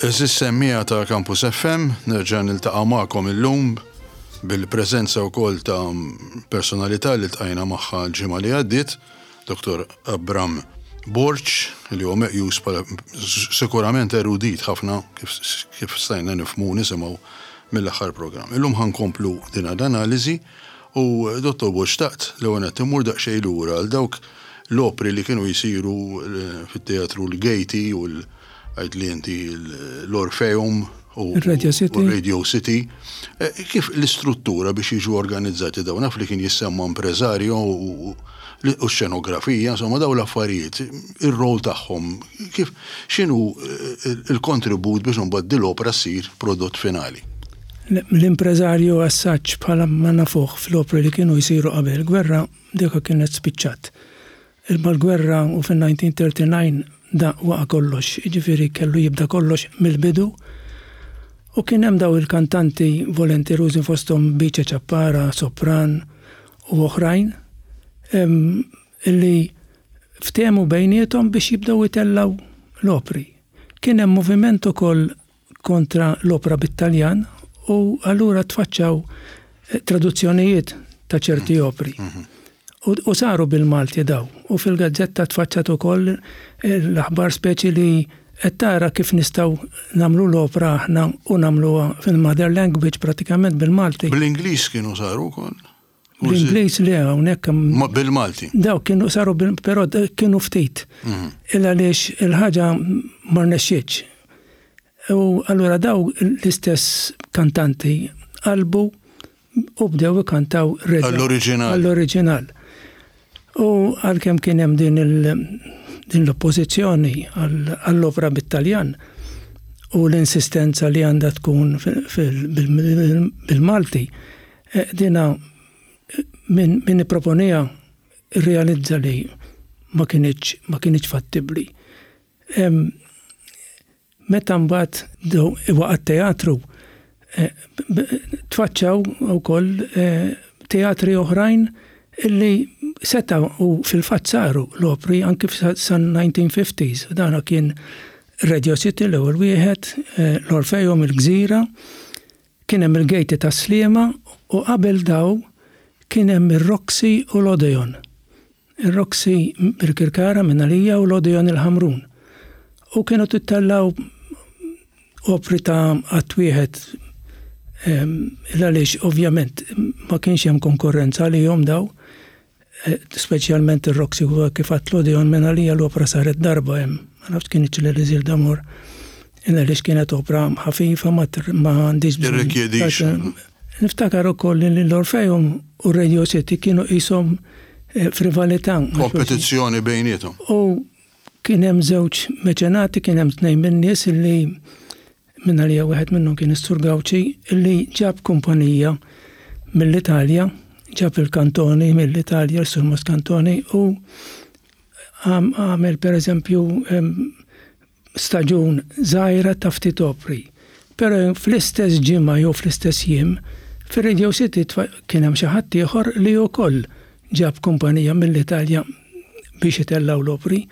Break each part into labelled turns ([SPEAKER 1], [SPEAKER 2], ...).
[SPEAKER 1] Għeżież semmiegħa ta' Campus FM, nerġa' niltaqa' magħkom illum bil-preżenza wkoll ta' personalità li ltqajna magħha l-ġimgħa li għaddiet, Dottor Abram Borg, li huwa meqjus bħala sikurament erudit ħafna kif stajna nifhmu u nisimgħu mill-aħħar programm. Illum ħa nkomplu din l-analiżi u Dottor Borg xtaqt l-ewwel nett immur daqsxejn lura għal dawk l-opri li kienu jsiru fit-teatru l-Gaiety u l Għidli inti l-Orpheum u
[SPEAKER 2] Radio City.
[SPEAKER 1] Radio City. Eh, kif l-istruttura biex jiġu organizzati dawn naf li kien jissemma impreżarju u xenografija, insomma daw l-affarijiet, ir-rol tagħhom, kif x'inhu eh, il-kontribut biex imbagħad din l-opra ssir prodott finali?
[SPEAKER 2] L-impreżarju assaġġ bħala ma nafuh fl-opri li kienu jsiru qabel gwerra dika kienet spiċċat. Imma l-gwerra u fin-1939 da waqa' kollox, jiġifieri kellu jibda kollox mill-bidu. U kien hemm daw il-kantanti volenterużi fosthom Bice Ciappara, sopran u oħrajn illi ftehmu bejniethom biex jibdew itellgħu l-opri. Kien hemm moviment ukoll kontra l-opra bit-Taljan u allura tfaċċaw eh, traduzzjonijiet ta' ċerti mhm. opri. Mhm. U saru bil-Malti daw. U fil-gazzetta tfaċċat ukoll eh, l-aħbar speċi li qed tara kif nistgħu nagħmlu l-opra aħna u nagħmluha fil-mother language pratikament bil-Malti.
[SPEAKER 1] Bl-Ingliż kienu saru wkoll.
[SPEAKER 2] Bl-Ingliż le hawnhekk
[SPEAKER 1] Ma bil-Malti.
[SPEAKER 2] Daw kienu saru però kienu ftit. Mhm. Illa għaliex il-ħaġa ma rnexxietx. U allura daw l-istess kantanti qalbu u bdew ikantaw
[SPEAKER 1] Għall-oriġinal.
[SPEAKER 2] Għall-oriġinal. U għalkemm kien hemm din din l-oppożizzjoni għall-opra bit-Taljan u l-insistenza li għandha tkun bil-Malti, Eh, dina min, min ipproponija realizza li ma kienieċ ma kienieċ fattibbli. Meta mbagħad waqa' teatru eh, tfaċċaw ukoll eh, teatri oħrajn illi seta u fil-fatt saru l-opri anki san 1950s. Dana kien Radio City l-ewwel wieħed, l-Orfeum il-Gżira, Kien hemm il-Gejti tas-Sliema u qabel daw kien hemm ir-Roxy u l-Odeon. Ir-Roxy Birkirkara minn għalija u l-Odeon il-Ħamrun. U kienu tittellgħu opri ta' att wieħed għaliex ovvjament ma kienx hemm konkurrenza għalihom daw. Eh, speċjalment ir-Roxy huwa kif għat l-Odeon minn għalija l-opra saret darba hemm. Ma nafx kien l-Elisir d'Amor. Għaliex kienet opra ħafifa ma għandix
[SPEAKER 1] bżonn.
[SPEAKER 2] Niftakar ukoll li l-Orfeum u Radio City kienu qishom eh, f'rivalità.
[SPEAKER 1] Kompetizzjoni bejniethom.
[SPEAKER 2] U kien hemm żewġ meċenati, kien hemm tnejn min-nies illi Minn għalija wieħed minnhom kien is-Sur Gauci illi ġab kumpanija mill-Italja, ġab il-Cantoni mill-Italja, s-Sur Moscantoni u għamel per eżempju staġun żgħira ta' ftit opri. Però fl-istess ġimgħa jew fl-istess jiem, fir-Radio City kien hemm xi ħadd ieħor li wkoll ġab kumpanija mill-Italja biex itellgħu l-opri.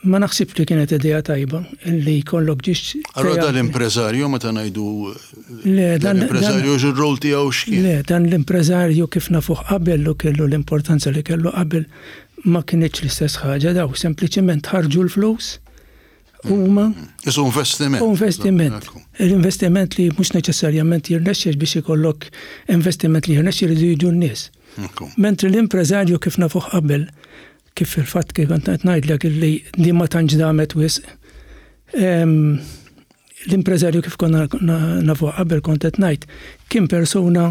[SPEAKER 2] Ma naħsibx li kienet idea tajba li jkollok ġiex.
[SPEAKER 1] Allora dan l-impreżarju meta ngħidu Le, dan l-impreżarju x'ir-rol tiegħu x'kien?
[SPEAKER 2] Le, dan l-impreżarju kif nafuh qabel u kellu l-importanza li kellu qabel ma kinitx l-istess ħaġa daw sempliċement ħarġu l-flus huma.
[SPEAKER 1] Isu investiment.
[SPEAKER 2] Investiment. L-investiment li mhux neċessarjament jirnexxi biex ikollok investiment li jirnexxi jridu jiġu n-nies. Mentri l-impreżarju kif nafuh qabel, kif fil-fatt kif kont qed ngħidlek illi din ma tantx damet wisq, l-impreżarju kif konna nafuh qabel kont qed ngħid, kien persuna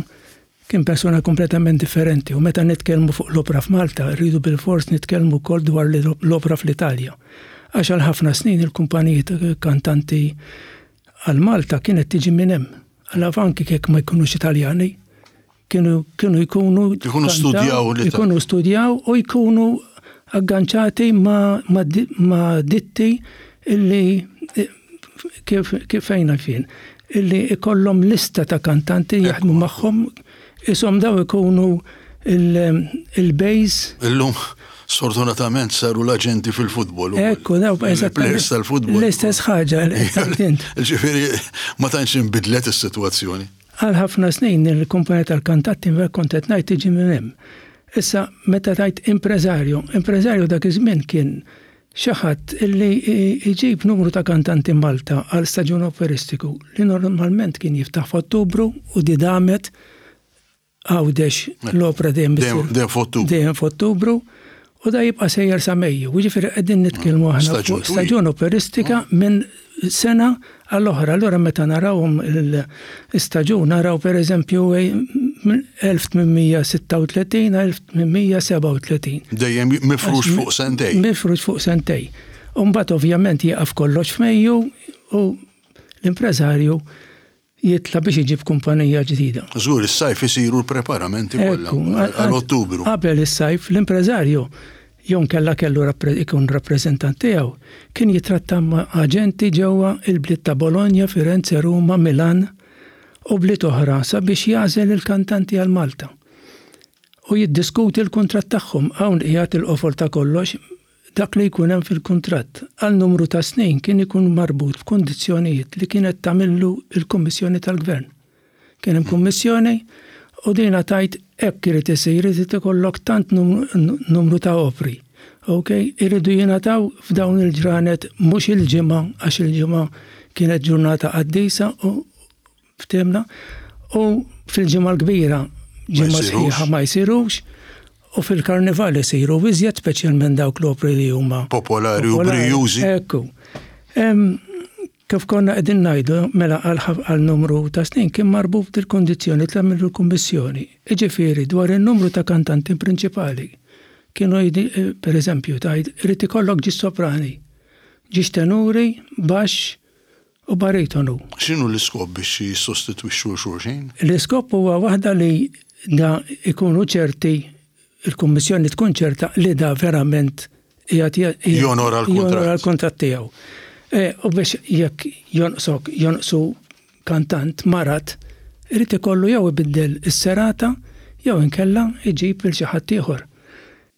[SPEAKER 2] kien persuna kompletament differenti u meta nitkellmu fuq l-opra f'Malta rridu bilfors nitkellmu wkoll dwar l-opra fl-Italja. Għax għal ħafna snin il-kumpaniji ta' kantanti għal Malta kienet tiġi minn hemm. Għal anki jekk ma jkunux Italjani, kienu kienu jkunu
[SPEAKER 1] Jkunu studjaw
[SPEAKER 2] li jkunu studjaw u jkunu agganċati ma, ma, ma ditti illi kif kif fejna fien illi ikollhom lista ta' kantanti jaħdmu magħhom isom daw ikunu il-base.
[SPEAKER 1] Illum. Sfortunatament saru l-aġenti fil-futbol.
[SPEAKER 2] Ekku, daw,
[SPEAKER 1] eżattament. tal-futbol.
[SPEAKER 2] L-istess ħaġa li
[SPEAKER 1] int. Ġifieri ma tantx inbidlet is-sitwazzjoni.
[SPEAKER 2] Għal ħafna snin il-kumpanija tal-kantatti kont qed ngħid tiġi minn hemm. Issa meta tajt impreżarju, impreżarju dak iż-żmien kien xi ħadd illi jġib numru ta' kantanti Malta għal staġun operistiku li normalment kien jiftaħ f'Ottubru u di damet Għawdex l-opra
[SPEAKER 1] dejjem dejjem f'Ottubru.
[SPEAKER 2] Dejjem f'Ottubru u da jibqa' sejjer sa Mejju. Jiġifieri qegħdin nitkellmu aħna fuq staġun operistika minn sena għall-oħra. Allura meta narawhom l-istaġun naraw pereżempju minn 1836 għal 1837.
[SPEAKER 1] Dejjem mifrux fuq sentej.
[SPEAKER 2] Mifrux fuq sentej. U mbagħad ovvjament jieqaf kollox f'Mejju u l-impreżarju jitla' biex iġib kumpanija ġdida.
[SPEAKER 1] Żgur, is-sajf isiru l-preparamenti kollha għal Ottubru.
[SPEAKER 2] Qabel is-sajf, l-impreżarju jew inkella kellu ikun rappreżentant tiegħu, kien jitratta ma' aġenti ġewwa il-bliet ta' Bologna, Firenze, Ruma, Milan u bliet oħra sabiex jagħżel il-kantanti għal Malta. U jiddiskuti l-kuntratt tagħhom. Hawn qiegħed il-qofol ta' kollox, Dak li jkun hemm fil-kuntratt għal numru ta' snin kien ikun marbut b'kundizzjonijiet li kienet tagħmillu l-Kummissjoni tal-Gvern. Kien hemm kummissjoni u dina tgħid hekk irid isir, irid ikollok tant numru ta' opri. Ok, iridu jingħataw f'dawn il-ġranet mhux il-ġimgħa għax il-ġimgħa kienet ġurnata qaddisa u Ftehimna? U fil-Ġimgħa l-Kbira, ġimgħa sħiħa ma jsirux, u fil-Karnival isiru iżjed, speċjalment dawk l-opri li huma
[SPEAKER 1] popolari u brijużi.
[SPEAKER 2] Ekku. Kif konna qegħdin ngħidu, mela għal numru ta' snin kien marbut il-kondizzjoni ta' mill kummissjoni. Iġifieri dwar in-numru ta' kantanti prinċipali. Kienu per eżempju, tgħid irid ikollok ġiex soprani, ġiex tenuri, baxx, u baritonu.
[SPEAKER 1] X'inhu l-iskop biex jissostitwixxu 'l xulxin?
[SPEAKER 2] L-iskop huwa waħda li da ikunu ċerti, il-Kummissjoni tkun ċerta li da verament
[SPEAKER 1] qiegħed jonora
[SPEAKER 2] l-kuntratt tiegħu. E, u biex jekk jonqsok, jonqsu kantant marad, irid ikollu jew ibiddel is-serata jew inkella iġib lil xi ħadd ieħor.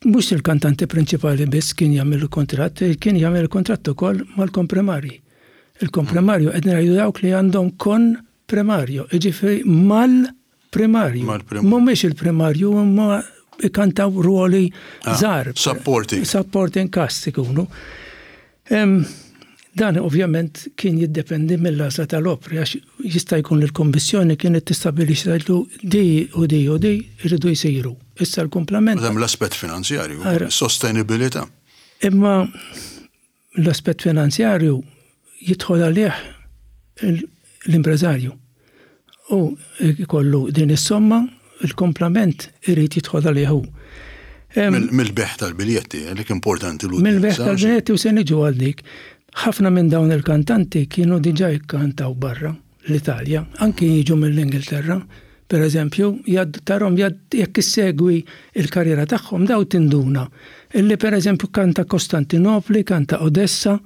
[SPEAKER 2] Mhux il-kantanti prinċipali biss kien jagħmel il-kuntratt, kien jagħmel il-kuntratt ukoll mal-komprimarji. Il-komprimarju qed ngħidu dawk li għandhom kon primarju, jiġifieri mal-primarju. Mhumiex il-primarju imma ikantaw ruoli ah, żgħar.
[SPEAKER 1] Supporting.
[SPEAKER 2] Supporting cast ikunu. Dan ovvjament kien jiddependi mill-għażla tal-opri għax jista' jkun li l-Kummissjoni kienet tistabbilixxi tgħidlu di u di u di jridu jsiru. Issa l-kumplament.
[SPEAKER 1] Hemm l-aspett finanzjarju, sostenibilità.
[SPEAKER 2] Imma l-aspett finanzjarju jidħol għalih l-impreżarju. U jkollu din is-somma, il-kumplament irid jidħol għalih hu.
[SPEAKER 1] Mill-beħ tal-biljetti, għalik importanti
[SPEAKER 2] l Mill-beħ tal-biljetti u se niġu għal dik. Ħafna minn dawn il-kantanti kienu diġà jikkantaw barra l-Italja, anki jiġu mill-Ingilterra, per eżempju, tarom jekk issegwi il-karriera tagħhom daw tinduna illi per eżempju kanta Kostantinopli, kanta Odessa,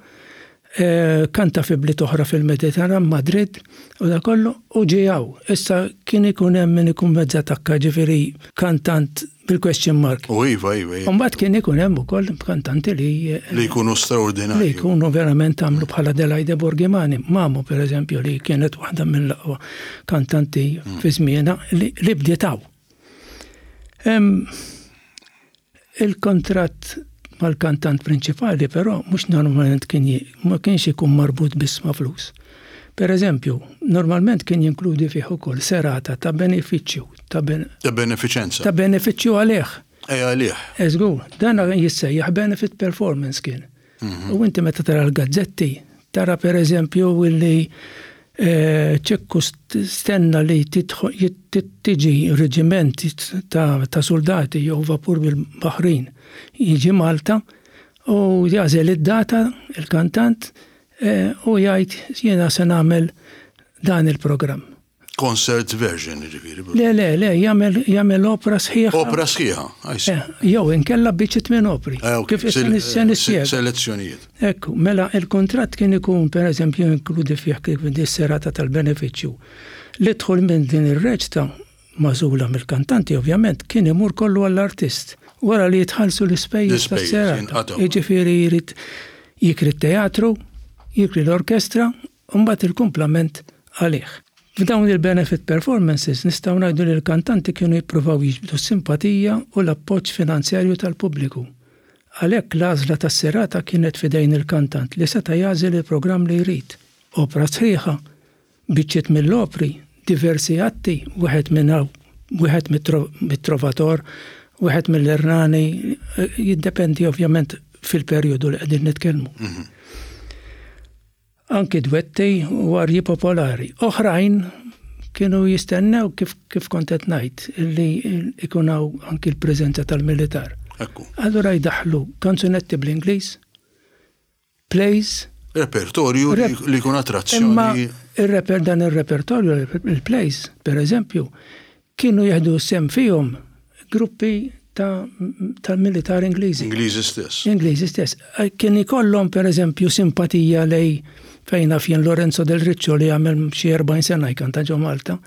[SPEAKER 2] Kanta fi bliet oħra fil-Mediterran, Madrid, u dak kollu, u ġie hawn. Issa kien ikun hemm min ikun mezza takka, ġifieri kantant bil-question mark.
[SPEAKER 1] U iva, iva,
[SPEAKER 2] iva. U mbagħad kien ikun hemm ukoll kantanti li.
[SPEAKER 1] Li jkunu straordinarji.
[SPEAKER 2] Li jkunu verament għamlu bħala Adelaide Borghimani, Mamo per eżempju li kienet waħda mill-aqwa kantanti fi żmienha li bdiet hawn. Il-kuntratt mal-kantant prinċipali però mhux normalment kien ma kienx ikun marbut biss ma' flus. Per eżempju, normalment kien jinkludi fih ukoll serata ta' benefiċċju
[SPEAKER 1] ta' ben Ta' benefiċenza.
[SPEAKER 2] Ta' benefiċċju għalih.
[SPEAKER 1] Eh għalih.
[SPEAKER 2] Eh żgur, dan jissejjaħ benefit performance kien. U inti meta tara l-gazzetti, tara per eżempju illi Ċekku stenna li tiġi reġiment ta' soldati jew vapur bil-baħrin jiġi Malta u jagħżel id-data il-kantant u jgħid jiena se nagħmel dan il-programm.
[SPEAKER 1] Concert version, ġifieri.
[SPEAKER 2] Le, le, le, jagħmel jagħmel opra sħiħa.
[SPEAKER 1] Opra sħiħa,
[SPEAKER 2] I see. Eh, jew inkella biċċiet minn opri.
[SPEAKER 1] Eh, Kif se nispjega. Selezzjonijiet.
[SPEAKER 2] Ekku, mela il-kuntratt kien ikun pereżempju inkludi fih kif dis-serata tal-benefiċċju. Li dħul minn din ir-reċta magħżula mill-kantanti ovvjament kien imur kollu għall-artist. Wara li jitħallsu l-ispejjeż tas-serata. Jiġifieri jrid jikri t-teatru, jikri l-orkestra, u mbagħad il-kumplament għalih. F'dawn il-benefit performances nistgħu ngħidu li l-kantanti kienu jippruvaw jiġbdu s-simpatija u l-appoġġ finanzjarju tal-pubbliku. Għalhekk l-għażla tas-serata kienet f'idejn il-kantant li seta' jagħżel il-programm li jrid, opra sħiħa, biċċiet mill-opri, diversi atti, wieħed minn hawn, wieħed mit-Trovator, wieħed mill-Ernani, jiddependi ovvjament fil-perjodu li qegħdin nitkellmu. Mhm. Anki dwetti u arji popolari. Oħrajn kienu jistennew kif, kif kont qed ngħid li ikun hawn anki l-preżenza tal-militar.
[SPEAKER 1] Ekku.
[SPEAKER 2] Allura jdaħħlu kanzunetti bl-Ingliż, plays.
[SPEAKER 1] Repertorju li jkun attrazzjoni.
[SPEAKER 2] Imma ir-reper dan ir-repertorju, il-plays, per eżempju, kienu jieħdu sem fihom gruppi tal-militar Ingliżi.
[SPEAKER 1] Ingliżi stess.
[SPEAKER 2] Ingliżi stess. Eh, kien ikollhom per eżempju simpatija lej fejn naf jien Lorenzo del Riccio li għamel xi 40 sena jkanta ġo Malta.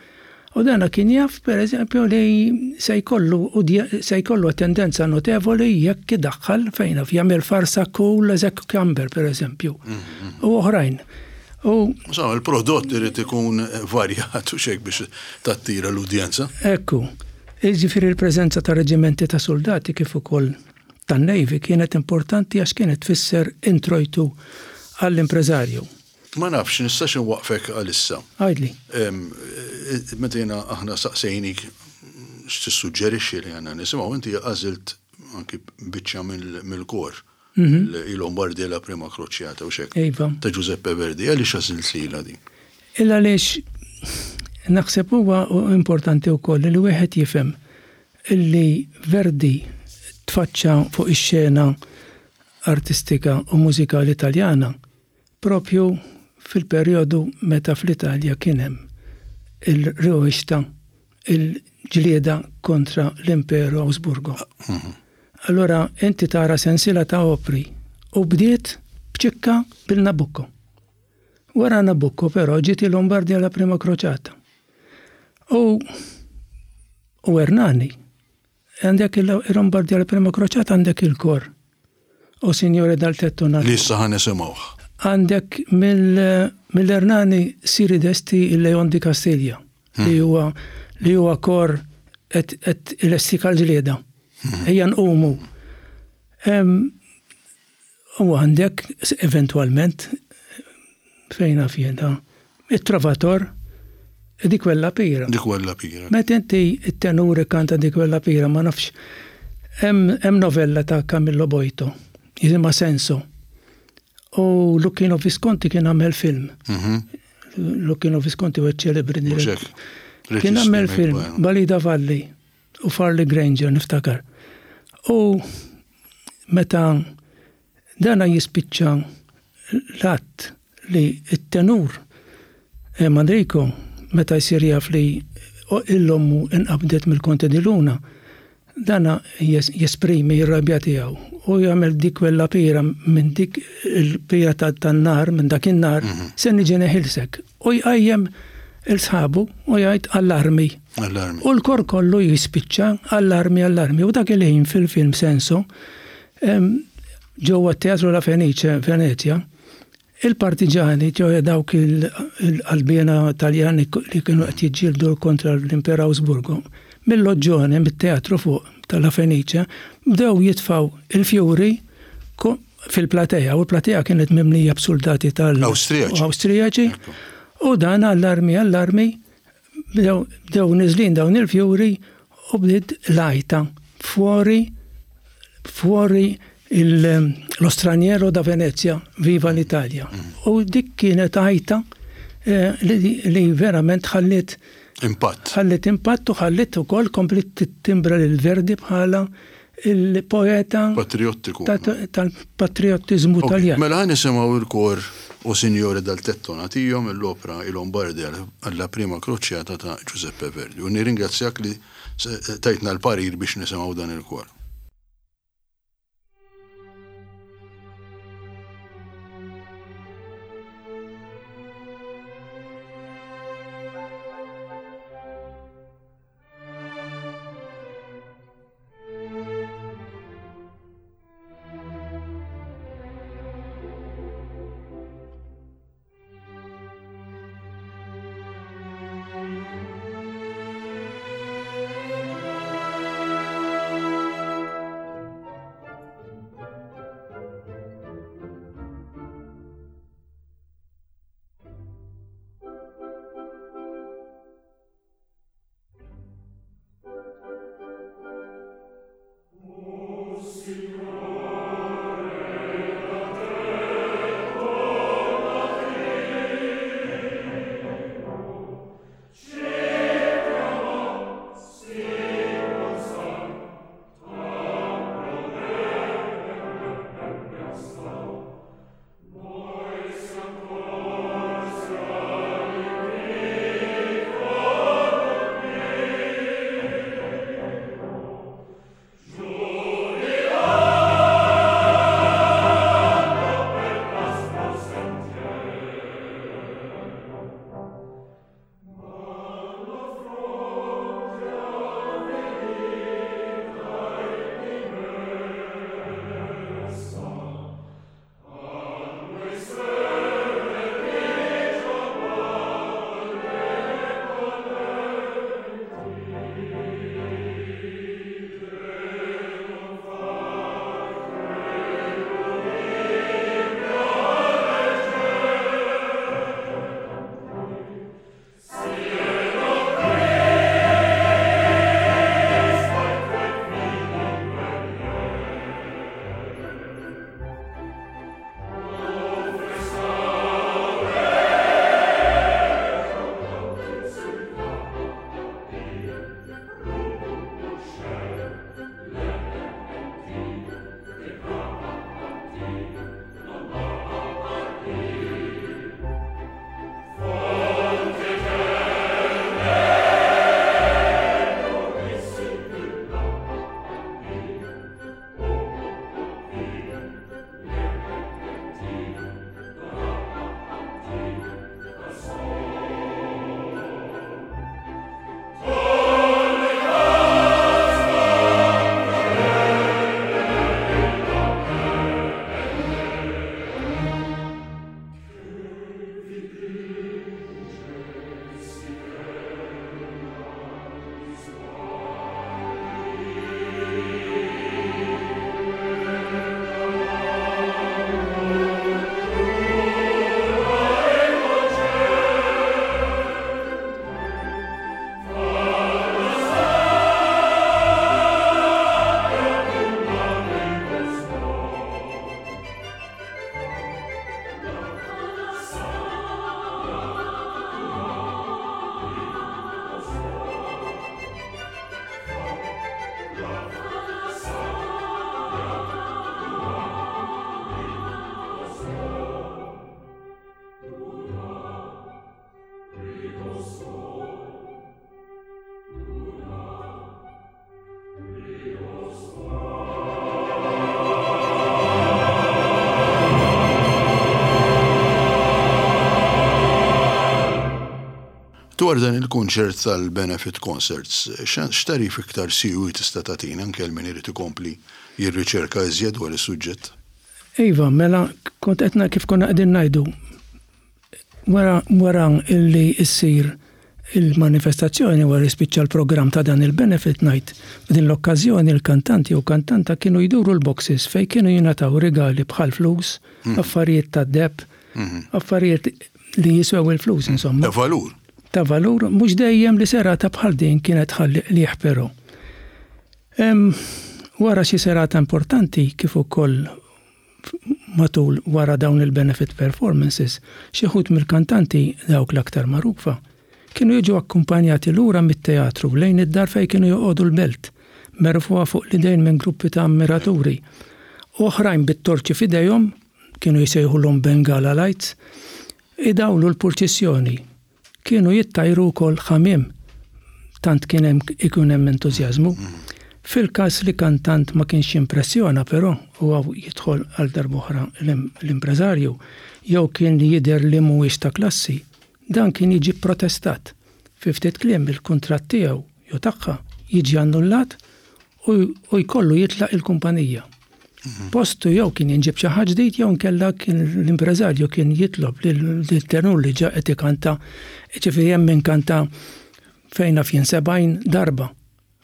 [SPEAKER 2] U dana kien jaf per eżempju li se jkollu se jkollu tendenza notevoli jekk idaħħal fejn naf jagħmel farsa cool as a cucumber per eżempju. Mm-hmm. U oħrajn.
[SPEAKER 1] U Insomma, il-prodott irid ikun varjat u xejk biex tattira l-udjenza.
[SPEAKER 2] Ekku. Jiġifieri l-preżenza ta' reġimenti ta' suldati kif ukoll tan-Navy kienet importanti għax kienet tfisser introjtu għall-impreżarju.
[SPEAKER 1] Ma nafx, nistax inwaqqfek għalissa.
[SPEAKER 2] Għidli.
[SPEAKER 1] Meta jiena aħna saqsejnik x'tissuġġerixxi li għandna nisimgħu, inti għażilt anki biċċa mill-kor. I Lombardi la prima crociata u xek.
[SPEAKER 2] Iva.
[SPEAKER 1] Ta' Giuseppe Verdi, għaliex għażilt lilha din?
[SPEAKER 2] Il għaliex naħseb huwa importanti wkoll li wieħed jifhem illi Verdi tfaċċa fuq ix-xena artistika u mużikali Taljana Propju fil-perjodu meta fl-Italja kien hemm il-rewwixta, il-ġlieda kontra l-Imperu Awsburgo. Allura inti tara sensiela ta' opri u bdiet b'ċikka bil-Nabucco. Wara Nabucco però ġiet il-Lombardia la Prima Crociata. U u Ernani. Għandek il-Lombardia la Prima Crociata għandek il-kor. O Signore dal tetto
[SPEAKER 1] nat. Li issa ħa nisimgħuh.
[SPEAKER 2] Għandek mill-Ernani Siri Desti il-Leon di Castiglia hmm. li huwa li huwa kor qed ilestika l-ġlieda. Hmm. Ejja nqumu. U għandek eventwalment fejn naf jiena it-Trovator di quella pira.
[SPEAKER 1] Di quella pira.
[SPEAKER 2] Meta inti t-tenur ikkanta di quella pira ma nafx hemm novella ta' Camillo Boito jisimha Senso. U Lucchino Visconti kien għamel film.
[SPEAKER 1] Mhm.
[SPEAKER 2] Lucchino Visconti u ċelebri. Kien għamel film Balida Valli. U Farley Granger niftakar. U meta dana jispiċċa l-att li t-tenur eh, Manrico meta jsir jaf li l-ommu inqabdet mill-Konte di Luna, dana jesprimi r-rabja tiegħu u jagħmel dik quella pira minn dik il-pira tan-nar, minn dak in-nar, mhm. se niġi neħilsek. U jqajjem il-sħabu u jgħid allarmi.
[SPEAKER 1] Allarmi.
[SPEAKER 2] U l-kor kollu jispiċċa allarmi, allarmi. U dak il-ħin fil-film Senso, ġewwa t-Teatru La Fenice, Venezia, il-partiġani, ġewwa dawk il-qalbiena Taljani li kienu qed jiġġieldu kontra l-Imperu Awsburgo, mill-loġġone, mit-teatru fuq ta' La Fenice, bdew jitfgħu il-fjuri fil-platea, u l-platea kienet mimlija b'suldati
[SPEAKER 1] tal-Awstrijaċi.
[SPEAKER 2] Awstrijaċi. U dan allarmi, allarmi, bdew niżlin dawn il-fjuri u bdiet l-għajta fuori fuori lo straniero da Venezia, viva l-Italja. Mm. U dik kienet għajta eh, li verament ħalliet
[SPEAKER 1] impatt.
[SPEAKER 2] Ħalliet impatt u ħalliet ukoll komplet timbra lil Verdi bħala il-poeta
[SPEAKER 1] patriottiku
[SPEAKER 2] tal-patriottiżmu Taljan.
[SPEAKER 1] Mela ħa nisimgħu il-kor O Signore dal tetto natio mill-opra I Lombardi alla prima crociata ta' Giuseppe Verdi. U nirringrazzjak li tajtna l-parir biex nisimgħu dan il-kor. Dwar dan il-kunċert tal-Benefit Concerts, x'tagħrif iktar siewi tista' tagħtina anke għal min irid ikompli jirriċerka iżjed dwar is-suġġett?
[SPEAKER 2] Iva, mela kont qed kif konna qegħdin ngħidu, wara wara illi ssir il-manifestazzjoni wara jispiċċa l-programm ta' dan il-benefit night, f'din l-okkażjoni l-kantanti u kantanta kienu jduru l-boxes fejn kienu jingħataw rigali bħal flus, affarijiet tad-deheb, affarijiet li jiswew il-flus insomma.
[SPEAKER 1] Ta' valur.
[SPEAKER 2] Ta' valur, mhux dejjem li serata bħal din kienet tħalli qligħ però. Wara xi serata importanti kif ukoll matul wara dawn il-benefit performances, xi wħud mill-kantanti dawk l-aktar magħrufa, kienu jiġu akkumpanjati lura mit-teatru lejn id-dar fejn kienu joqogħdu l-belt, merfugħa fuq l-idejn minn gruppi ta' ammiraturi, u oħrajn bit-torċi f'idejhom, kienu jsejħulhom Bengala lights, idawlu l-purċissjoni. Kienu jittajru wkoll ħamiem, tant kien hemm ikun hemm entużjażmu. Fil-każ li kantant ma kienx jimpressjona però, u hawn jidħol għal darb'oħra l-impreżarju, jew kien jidher li mhuwiex ta' klassi, dan kien jiġi pprotestat. Fi ftit kliem il-kuntratt tiegħu jew tagħha jiġi annullat u jkollu jitlaq il-kumpanija. Postu jew kien jinġib xi ħadd ġdid jew inkella kien l-impreżarju kien jitlob lil tenur li ġa qed ikanta, ġifieri hemm min kanta fejn naf jien 70 darba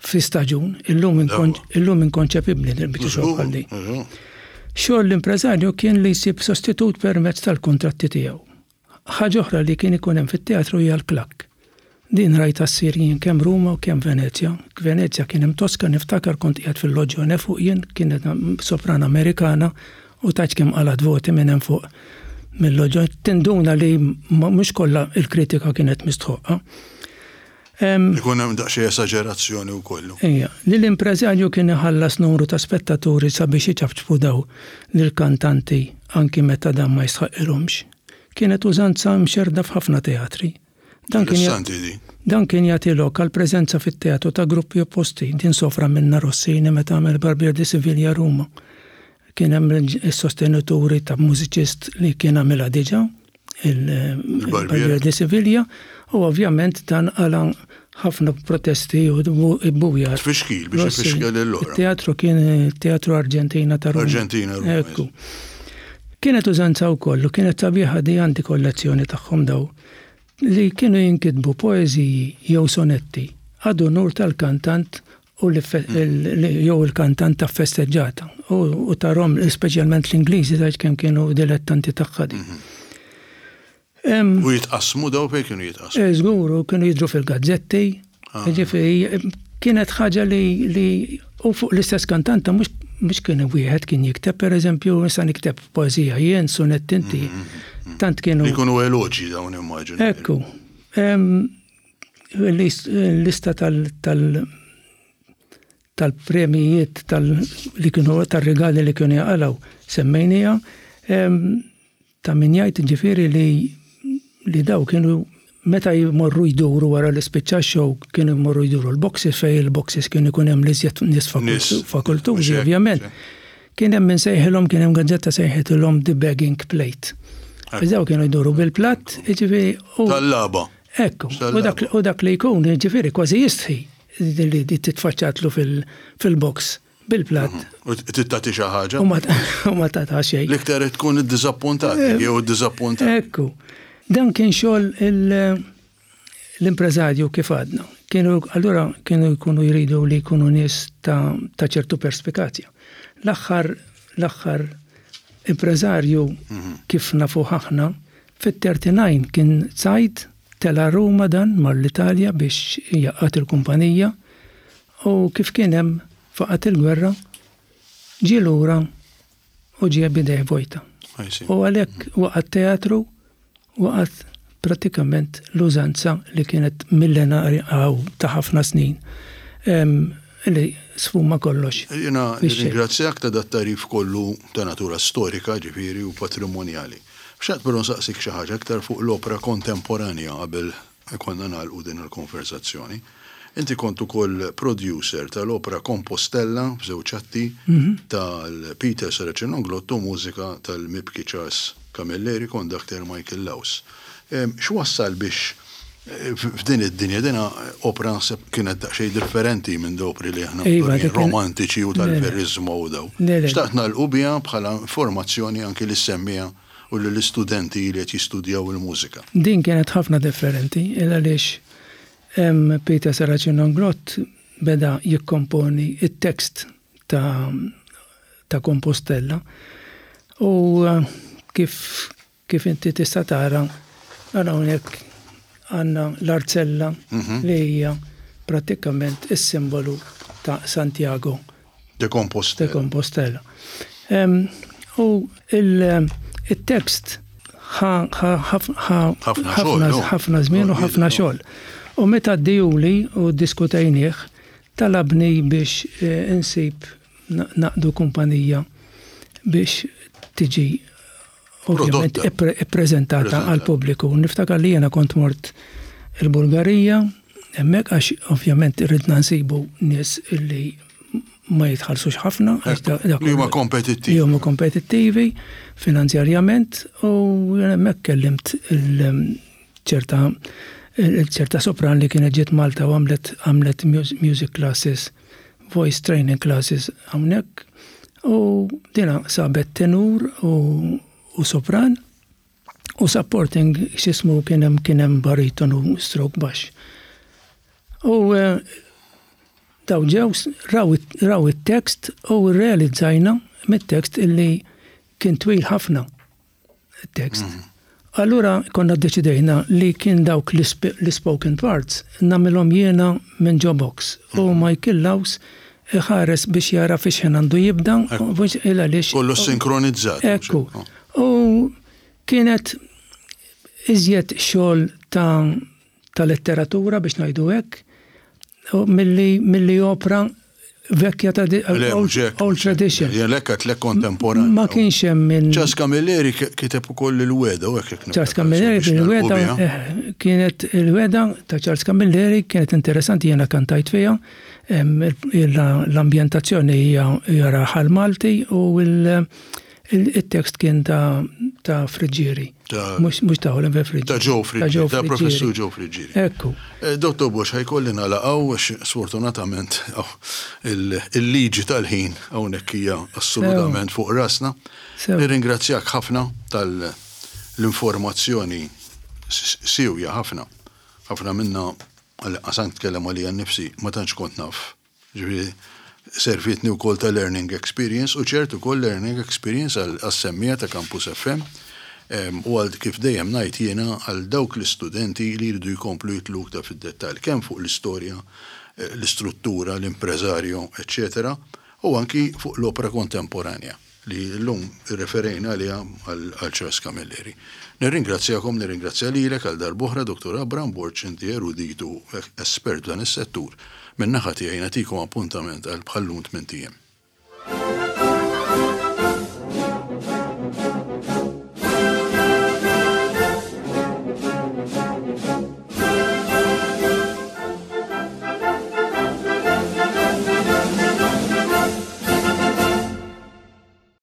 [SPEAKER 2] fi staġun, illum illum inkonċepibbli li biċċa xogħol bħal din. Xogħol l-impreżarju kien li jsib sostitut permezz tal-kuntratti tiegħu. Ħaġa oħra li kien ikun hemm fit-teatru hija l-klakk. Din rajtha ssir jien kemm Ruma u kemm Venezja. Venezja kien hemm Tosca niftakar kont qiegħed fil-loġġone fuq jien, kienet sopran Amerikana u tgħidx kemm qalgħet voti minn hemm fuq mill-loġġone. Tinduna li mhux kollha l-kritika kienet mistħoqqa.
[SPEAKER 1] Ikun hemm daqsxejn esaġerazzjoni wkoll.
[SPEAKER 2] Ejja, li l-impreżarju kien iħallas numru ta' spettaturi sabiex iċapċpu daw lill-kantanti anki meta dan ma jistħaqqilhomx. Kienet użanza mxerrda f'ħafna teatri. Dan kien
[SPEAKER 1] Interessanti di.
[SPEAKER 2] Dan kien jagħti lok għall-preżenza fit-teatru ta' gruppi opposti. Din sofra minnha Rossini meta għamel Barbier di Siviglia Ruma. Kien hemm is-sostenituri ta' mużiċist li kien għamilha diġà, il-Barbier di Siviglia, u ovvjament dan qala' ħafna protesti u bbujar.
[SPEAKER 1] Tfixkil biex ifixkel lill-oħra.
[SPEAKER 2] It-teatru kien it-Teatru Argentina ta' Ruma.
[SPEAKER 1] Argentina Ruma.
[SPEAKER 2] Ekku. Kienet użanza wkoll u kienet sabiħa di għandi kollezzjoni tagħhom daw li kienu jinkitbu poeżiji jew sonetti ad unur tal-kantant u jew il-kantant ta' festeġġata u tarhom speċjalment l-Ingliżi tgħidx kemm kienu dilettanti tagħha din.
[SPEAKER 1] U jitqassmu daw fejn kienu jitqassmu?
[SPEAKER 2] Eh, żgur, u kienu jidhru fil-gazzetti. Ah. Ġifieri kienet ħaġa li li u fuq l-istess kantanta mhux mhux kien wieħed kien jikteb, pereżempju, issa nikteb poeżija jien, sunett inti. Mm, mm,
[SPEAKER 1] mm, Tant kienu. Jkunu eloġi dawn immaġinu.
[SPEAKER 2] Ekku. L-lista tal tal-premijiet tal li kienu tar-rigali li kienu jaqalgħu semmejnija. Ta' min jgħid jiġifieri li li daw kienu meta jmorru jduru wara li spiċċa x-show kienu jmorru jduru l-boxes fejn il-boxes kien ikun hemm l-iżjed nies fakultużi ovvjament. Kien hemm min sejħilhom kien hemm gazzetta sejħitilhom the begging plate. Daw kienu jduru bil-platt, jiġifieri.
[SPEAKER 1] Tal-lagħba.
[SPEAKER 2] Ekku, u dak li jkun, jiġifieri kważi jistħi li titfaċċatlu fil-box bil-platt.
[SPEAKER 1] U tagħti xi ħaġa.
[SPEAKER 2] U ma tagħta xejn.
[SPEAKER 1] L-iktar tkun iddiżappuntat eh, jew iddiżappuntat.
[SPEAKER 2] Ekku. Dan kien xogħol l-impreżarju kif għadna. Kienu allura kienu jkunu jridu li jkunu nies ta' ċertu perspikazja. L-aħħar l-aħħar impreżarju mhm. kif nafu aħna fit-39 kien Zaid tela Ruma dan mar l-Italja biex jaqgħad il-kumpanija U kif kien hemm faqgħet il-gwerra, ġie lura u ġie b'idejh vojta. U għalhekk waqa' t-teatru, waqgħet prattikament l-użanza li kienet millenarja aw ta' ħafna snin li sfuma kollox.
[SPEAKER 1] Jiena nirringrazzjak ta' dat-tagħrif kollu ta' natura storika, ġifieri, u patrimonjali. Xtaqt però nsaqsik xi ħaġa aktar fuq l-opra kontemporanja qabel Ikollna nagħlqu din il-konversazzjoni. Inti kont ukoll producer tal-opra Compostella f'żewġ atti tal-Peter Saracenonglotto u mużika tal-mibki Charles Camilleri, conductor Michael Laus. X'wassal biex F'din id-dinja dina opra naħseb kienet daqsxejn differenti minn opri li aħna iva, romantiċi u tal-verizmu u daw. Xtaqt nagħlqu biha bħala informazzjoni anki li semmija u lill-istudenti li qed jistudjaw il-mużika.
[SPEAKER 2] Din kienet ħafna differenti, il għaliex Peter Saracino Glott beda jikkomponi it-tekst ta' ta' Compostella u kif Kif inti tista' tara, ara hawnhekk għandna l-arzella li hija prattikament is-simbolu ta' Santiago
[SPEAKER 1] de Compostela.
[SPEAKER 2] De Compostela. U il-tekst ħafna żmien u ħafna xogħol. U meta ddijuli u ddiskutejnieh, talabni biex insib naqdu kumpanija biex tiġi ovvjament ippreżentata għal pubbliku. Niftakar li jiena kont mort il-Bulgarija, hemmhekk għax ovvjament ridna nsibu nies illi ma jitħallsux ħafna.
[SPEAKER 1] Li huma kompetittivi.
[SPEAKER 2] Li huma kompetittivi finanzjarjament u hemmhekk kellimt il-ċerta ċerta sopran li kienet ġiet Malta u għamlet għamlet music classes voice training classes hawnhekk u dina sabet tenur u, u sopran u supporting x'ismu kien hemm kien hemm bariton u stroke baxx. U eh, daw ġew raw it-tekst u rrealizzajna mit-tekst illi kien twil ħafna. tekst. Mhm. Allura konna ddeċidejna li kien dawk l-spoken parts nagħmilhom jiena minn ġo box u mhm. Michael Laws iħares biex jara fiex ħin għandu jibda
[SPEAKER 1] il għaliex. Kollu sinkronizzat.
[SPEAKER 2] Ekku. U kienet iżjed xogħol ta' ta' letteratura biex ngħidu hekk milli milli opra vekja ta' old tradition.
[SPEAKER 1] Jelek għatlek kontemporanju.
[SPEAKER 2] Ma kienx hemm minn.
[SPEAKER 1] Charles Camilleri kiteb ukoll il-weda u
[SPEAKER 2] hekk. Charles Camilleri il-weda eh, kienet il-weda ta' Charles Camilleri kienet interessanti jiena kantajt fiha. L-ambjentazzjoni hija raħal Malti u l- Il-tekst kien ta' ta' Friggieri. Mhux ta' Oliver Friggieri.
[SPEAKER 1] Ta' Joe Friggieri. Ta' Professur Joe Friggieri.
[SPEAKER 2] Ekku.
[SPEAKER 1] Eh, Dottor Bosch, ħajkolli nagħlaqgħu għax sfortunatament oh, il-liġi tal-ħin hawnhekk hija assolutament fuq rasna. Nirringrazzjak ħafna tal-informazzjoni siwja ħafna. Ħafna minna għal tkellem għalija nnifsi ma tantx kont naf Ġifieri servietni wkoll ta' learning experience u ċert ukoll learning experience għas-semmiegħa ta' Campus FM u għal kif dejjem ngħid jiena għal dawk l-istudenti li jridu jkomplu jidħlu iktar fid-dettall kemm fuq l-istorja, l-istruttura, l-impreżarju, eċċetera u anki fuq l-opra kontemporanja. li llum irreferejna għaliha għal Charles Camilleri. Nirringrazzjakom, nirringrazzja lilek għal darb'oħra Dottor Abraham Borg, inti erudit u espert f'dan is-settur. Min-naħa tiegħi nagħtikom appuntament għal bħal-lum tmint ijiem.